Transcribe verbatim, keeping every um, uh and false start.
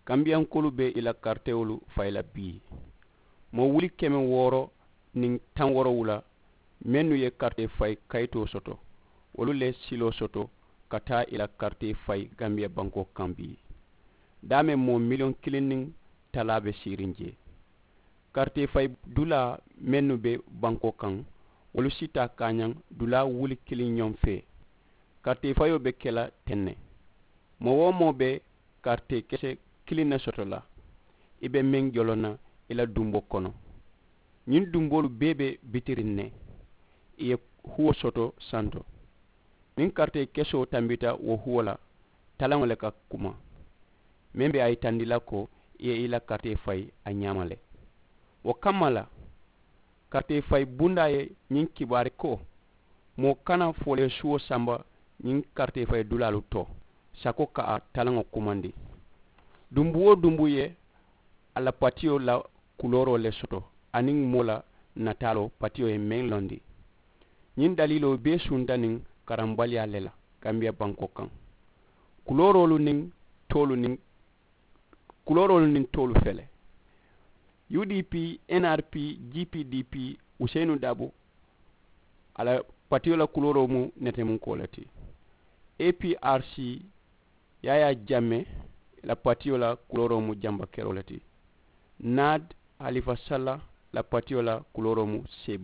Kambiyankoolu be i la karitewolu fayi la bii. Moo wuli keme wooro niŋ taŋ woorowula mennu ye karitee fayi kayitoo soto, wolu le siloo soto ka taa i la karitee fayi kambiya bankoo kaŋ bii. Daameŋ moo miliyoŋ kiliŋ niŋ talaa be siiriŋ jee. Karitee fayi dulaa mennu be bankoo kaŋ, wolu si taa kaañaŋ dulaa wuli kiliŋ ñoŋ fee. Karitee fayoo be ke la teŋ ne. Moo-wo-moo be karitee kese kiliŋ ne soto la. I be meŋ joloŋ na i la dumboo kono. Ñiŋ dumboolu bee be bitiriŋ ne. I ye huwo soto santo. Niŋ karitee kesoo tambita wo huwo la, talaŋo le ka kuma. Meŋ be a yitandi la ko i ye i la karitee fayi a ñaama le. Wo kamma la, karitee fayi bundaa ye ñiŋ kibaari ko, moo kana foolee suwo samba ñiŋ karitee fayi dulaalu to sako ka a talaŋo kumandi. Dumbu-wo-dumbu ye a la patiyo la kulooroo le soto aniŋ moo la nataaloo patiyo ye meŋ londi. Ñiŋ daliiloo bee sunta niŋ karambaliyaa le la kambiya bankoo kaŋ. Kulooroolu niŋ toolu niŋ kulooroolu niŋ toolu fele. U D P, N R P, G P D P, Useyinu Dabo, a la patiyo la kulooroo mu netemunkoo le ti. A P R C, Yaayaa Jammee la patiyo la kulooroo mu jambakeroo le ti. N A D, Halifa Salla la patiyo la kulooroo mu seebaa.